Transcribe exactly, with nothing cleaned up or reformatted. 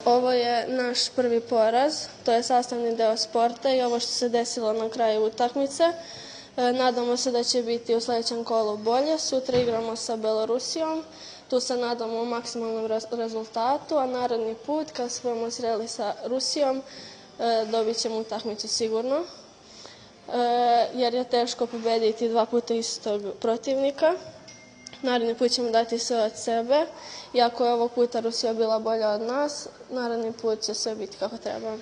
Ovo je naš prvi poraz, to je sastavni deo sporta i ovo što se desilo na kraju utakmice. Nadamo se da će biti u sledećem kolu bolje. Sutra igramo sa Belorusijom, tu se nadamo maksimalnom rezultatu, a naredni put kad se budemo sreli sa Rusijom dobit ćemo utakmicu sigurno, jer je teško pobediti dva puta istog protivnika. Naredni put ćemo dati sve od sebe. Iako je ovog puta Rusija bila bolja od nas, naredni put će sve biti kako treba.